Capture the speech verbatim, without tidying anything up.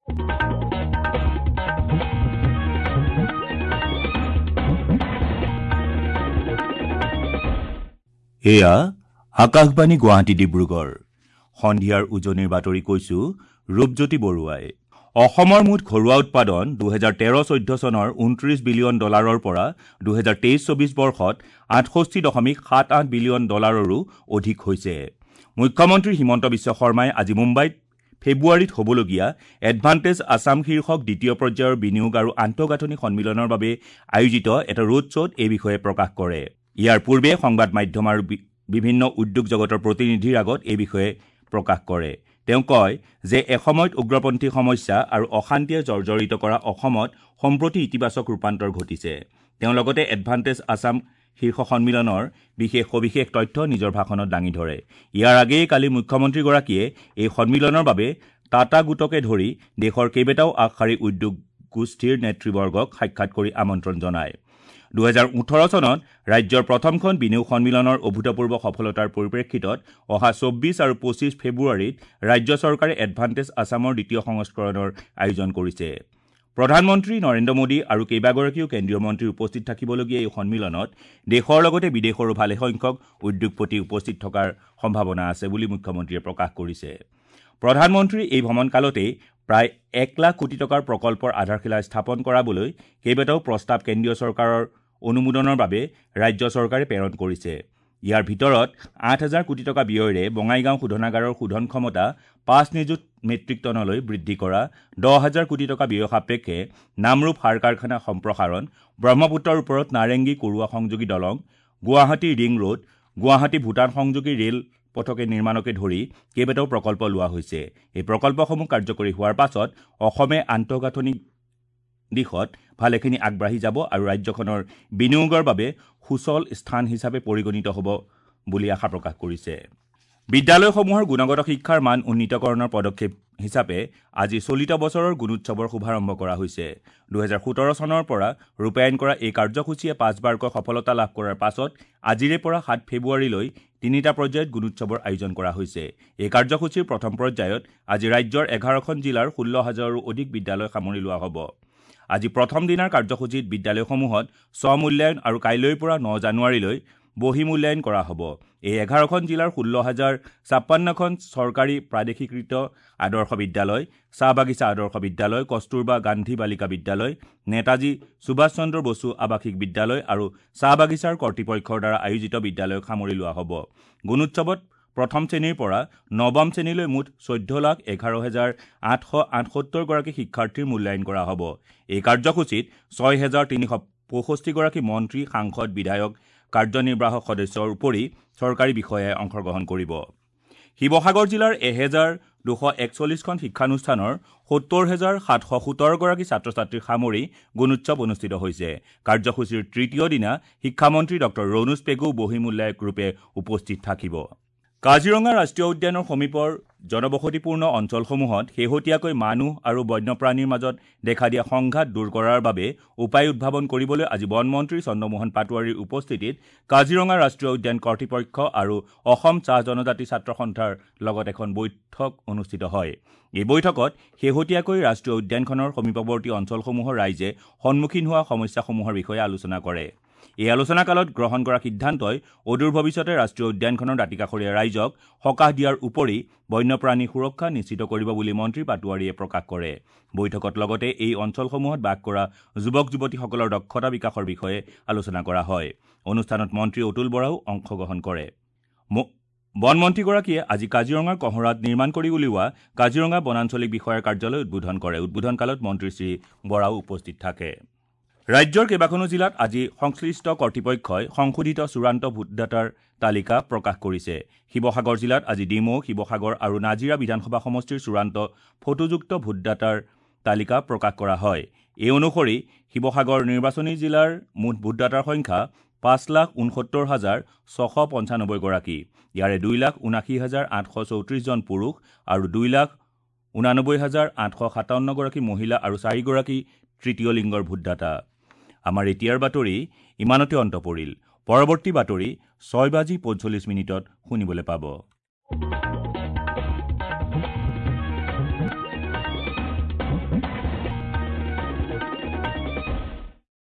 এয়া আকাশবাণী গুৱাহাটী ডিব্ৰুগড়। সন্ধিয়াৰ উজনিৰ বাতৰি কৈছো ৰূপজ্যোতি বৰুৱাই। অসমৰ মুঠ ঘৰুৱা উৎপাদন দুহেজাৰ তেৰ চৈধ্য চনৰ ঊনত্ৰিশ বিলিয়ন ডলাৰৰ পৰা দুহেজাৰ তেইছ চৌবিছ বৰ্ষত আঠষষ্ঠি দশমিক সাত আঠ বিলিয়ন ডলাৰৰো অধিক হৈছে। মুখ্যমন্ত্ৰী হিমন্ত বিশ্ব শৰ্মাই আজি মুম্বাইত ফেব্ৰুৱাৰীত হ'বলগীয়া এডভান্টেজ আছাম শীৰ্ষক দ্বিতীয় পৰ্যায়ৰ বিনিয়োগ আৰু আন্তঃগাঁথনি সন্মিলনৰ বাবে আয়োজিত এটা ৰোড শ্ব'ত এই বিষয়ে প্ৰকাশ কৰে। ইয়াৰ পূৰ্বে সংবাদ মাধ্যম আৰু বিভিন্ন উদ্যোগ জগতৰ প্ৰতিনিধিৰ আগত এই বিষয়ে প্ৰকাশ কৰে। তেওঁ কয় যে এসময়ত উগ্ৰপন্থী সমস্যা আৰু অশান্তিয়ে জৰ্জৰিত কৰা অসমত সম্প্ৰতি ইতিবাচক ৰূপান্তৰ ঘটিছে। তেওঁ লগতে এডভান্টেজ আছাম শীৰ্ষ সন্মিলনৰ বিশেষ সবিশেষ তথ্য নিজৰ ভাষণত দাঙি ধৰে। ইয়াৰ আগেয়ে কালি মুখ্যমন্ত্ৰীগৰাকীয়ে এই সন্মিলনৰ বাবে টাটা গোটকে ধৰি দেশৰ কেইবাটাও আগশাৰী উদ্যোগ গোষ্ঠীৰ নেতৃবৰ্গক সাক্ষাৎ কৰি আমন্ত্ৰণ জনায়। দুহেজাৰ ওঠৰ চনত ৰাজ্যৰ প্ৰথমখন বিনিয়োগ সন্মিলনৰ অভূতপূৰ্ব সফলতাৰ পৰিপ্ৰেক্ষিতত অহা চৌব্বিছ আৰু পঁচিছ ফেব্ৰুৱাৰীত ৰাজ্য চৰকাৰে এডভান্টেজ আছামৰ দ্বিতীয় সংস্কৰণৰ আয়োজন কৰিছে। প্ৰধানমন্ত্ৰী নৰেন্দ্ৰ মোদী আৰু কেইবাগৰাকীও কেন্দ্ৰীয় মন্ত্ৰী উপস্থিত থাকিবলগীয়া এই সন্মিলনত দেশৰ লগতে বিদেশৰো ভালেসংখ্যক উদ্যোগপতি উপস্থিত থকাৰ সম্ভাৱনা আছে বুলি মুখ্যমন্ত্ৰীয়ে প্ৰকাশ কৰিছে। প্ৰধানমন্ত্ৰীৰ এই ভ্ৰমণকালতেই প্ৰায় এক লাখ কোটি টকাৰ প্ৰকল্পৰ আধাৰশিলা স্থাপন কৰাবলৈ কেইবাটাও প্ৰস্তাৱ কেন্দ্ৰীয় চৰকাৰৰ অনুমোদনৰ বাবে ৰাজ্য চৰকাৰে প্ৰেৰণ কৰিছে। ইয়াৰ ভিতৰত আঠ হাজাৰ কোটি টকা ব্যয়েৰে বঙাইগাঁও শোধনাগাৰৰ শোধন ক্ষমতা পাঁচ নিযুত মেট্ৰিক টনলৈ বৃদ্ধি কৰা, দহ হাজাৰ কোটি টকা ব্যয় সাপেক্ষে নামৰূপ সাৰ কাৰখানা সম্প্ৰসাৰণ, ব্ৰহ্মপুত্ৰৰ ওপৰত নাৰেংগী কুৰুৱা সংযোগী দলং, গুৱাহাটী ৰিং ৰোড, গুৱাহাটী ভূটান সংযোগী ৰেল পথকে নিৰ্মাণকে ধৰি কেইবাটাও প্ৰকল্প লোৱা হৈছে। এই প্ৰকল্পসমূহ কাৰ্যকৰী হোৱাৰ পাছত অসমে আন্তঃগাঁথনি দিশত ভালেখিনি আগবাঢ়ি যাব আৰু ৰাজ্যখনৰ বিনিয়োগৰ বাবে সুচল স্থান হিচাপে পৰিগণিত হ'ব বুলি আশা প্ৰকাশ কৰিছে। বিদ্যালয়সমূহৰ গুণগত শিক্ষাৰ মান উন্নীতকৰণৰ পদক্ষেপ হিচাপে আজি চলিত বছৰৰ গুণোৎসৱৰ শুভাৰম্ভ কৰা হৈছে। দুহেজাৰ সোতৰ চনৰ পৰা ৰূপায়ণ কৰা এই কাৰ্যসূচীয়ে পাঁচবাৰকৈ সফলতা লাভ কৰাৰ পাছত আজিৰে পৰা সাত ফেব্ৰুৱাৰীলৈ তিনিটা পৰ্যায়ত গুণোৎসৱৰ আয়োজন কৰা হৈছে। এই কাৰ্যসূচীৰ প্ৰথম পৰ্যায়ত আজি ৰাজ্যৰ এঘাৰখন জিলাৰ ষোল্ল হাজাৰৰো অধিক বিদ্যালয় সামৰি লোৱা হ'ব। আজি প্ৰথম দিনাৰ কাৰ্যসূচীত বিদ্যালয়সমূহত স্বমূল্যায়ন আৰু কাইলৈৰ পৰা ন জানুৱাৰীলৈ বহি মূল্যায়ন কৰা হ'ব। এই এঘাৰখন জিলাৰ ষোল্ল হাজাৰ ছাপন্নখন চৰকাৰী প্ৰাদেশিকৃত আদৰ্শ বিদ্যালয়, চাহ বাগিচা আদৰ্শ বিদ্যালয়, কস্তুৰবা গান্ধী বালিকা বিদ্যালয়, নেতাজী সুভাষ চন্দ্ৰ বসু আৱাসিক বিদ্যালয় আৰু চাহ বাগিচাৰ কৰ্তৃপক্ষৰ দ্বাৰা আয়োজিত বিদ্যালয়ক সামৰি লোৱা হ'ব। গুণোৎসৱত প্ৰথম শ্ৰেণীৰ পৰা নৱম শ্ৰেণীলৈ মুঠ চৈধ্য লাখ এঘাৰ হেজাৰ আঠশ আঠসত্তৰগৰাকী শিক্ষাৰ্থীৰ মূল্যায়ন কৰা হ'ব। এই কাৰ্যসূচীত ছয় হেজাৰ তিনিশ পঁয়ষষ্ঠিগৰাকী মন্ত্ৰী, সাংসদ, বিধায়ক, কাৰ্যনিৰ্বাহক সদস্যৰ উপৰি চৰকাৰী বিষয়াই অংশগ্ৰহণ কৰিব। শিৱসাগৰ জিলাৰ এহেজাৰ দুশ একচল্লিছখন শিক্ষানুষ্ঠানৰ সত্তৰ হেজাৰ সাতশ সোতৰগৰাকী ছাত্ৰ ছাত্ৰীক সামৰি গুণোৎসৱ অনুষ্ঠিত হৈছে। কাৰ্যসূচীৰ তৃতীয় দিনা শিক্ষামন্ত্ৰী ডক্টৰ ৰণোজ পেগু বহিমূল্যায়ক ৰূপে উপস্থিত থাকিব। কাজিৰঙা ৰাষ্ট্ৰীয় উদ্যানৰ সমীপৰ জনবসতিপূৰ্ণ অঞ্চলসমূহত শেহতীয়াকৈ মানুহ আৰু বন্যপ্ৰাণীৰ মাজত দেখা দিয়া সংঘাত দূৰ কৰাৰ বাবে উপায় উদ্ভাৱন কৰিবলৈ আজি বনমন্ত্ৰী চন্দ্ৰমোহন পাটোৱাৰীৰ উপস্থিতিত কাজিৰঙা ৰাষ্ট্ৰীয় উদ্যান কৰ্তৃপক্ষ আৰু অসম চাহ জনজাতি ছাত্ৰ সন্থাৰ লগত এখন বৈঠক অনুষ্ঠিত হয়। এই বৈঠকত শেহতীয়াকৈ ৰাষ্ট্ৰীয় উদ্যানখনৰ সমীপৱৰ্তী অঞ্চলসমূহৰ ৰাইজে সন্মুখীন হোৱা সমস্যাসমূহৰ বিষয়ে আলোচনা কৰে। এই আলোচনাকালত গ্ৰহণ কৰা সিদ্ধান্তই অদূৰ ভৱিষ্যতে ৰাষ্ট্ৰীয় উদ্যানখনৰ দাঁতিকাষৰীয়া ৰাইজক সকাহ দিয়াৰ উপৰি বন্যপ্ৰাণী সুৰক্ষা নিশ্চিত কৰিব বুলি মন্ত্ৰী পাটোৱাৰীয়ে প্ৰকাশ কৰে। বৈঠকত লগতে এই অঞ্চলসমূহত বাস কৰা যুৱক যুৱতীসকলৰ দক্ষতা বিকাশৰ বিষয়ে আলোচনা কৰা হয়। অনুষ্ঠানত মন্ত্ৰী অতুল বৰাও অংশগ্ৰহণ কৰে। বনমন্ত্ৰীগৰাকীয়ে আজি কাজিৰঙাৰ কঁহৰাত নিৰ্মাণ কৰি উলিওৱা কাজিৰঙা বনাঞ্চলিক বিষয়াৰ কাৰ্যালয় উদ্বোধন কৰে। উদ্বোধনকালত মন্ত্ৰী শ্ৰী বৰাও উপস্থিত থাকে। ৰাজ্যৰ কেইবাখনো জিলাত আজি সংশ্লিষ্ট কৰ্তৃপক্ষই সংশোধিত চূড়ান্ত ভোটদাতাৰ তালিকা প্ৰকাশ কৰিছে। শিৱসাগৰ জিলাত আজি ডিমৌ, শিৱসাগৰ আৰু নাজিৰা বিধানসভা সমষ্টিৰ চূড়ান্ত ফটোযুক্ত ভোটদাতাৰ তালিকা প্ৰকাশ কৰা হয়। এই অনুসৰি শিৱসাগৰ নিৰ্বাচনী জিলাৰ মুঠ ভোটদাতাৰ সংখ্যা পাঁচ লাখ ঊনসত্তৰ হাজাৰ ছশ পঞ্চানব্বৈগৰাকী। ইয়াৰে দুই লাখ ঊনাশী হাজাৰ আঠশ চৌত্ৰিছজন পুৰুষ আৰু দুই লাখ ঊনানব্বৈ হাজাৰ আঠশ সাতাৱন্নগৰাকী মহিলা আৰু চাৰিগৰাকী তৃতীয় লিংগৰ ভোটদাতা। আমাৰ এতিয়াৰ বাতৰি ইমানতে অন্ত পৰিল। পৰৱৰ্তী বাতৰি ছয় বাজি পঞ্চল্লিছ মিনিটত শুনিবলৈ পাব।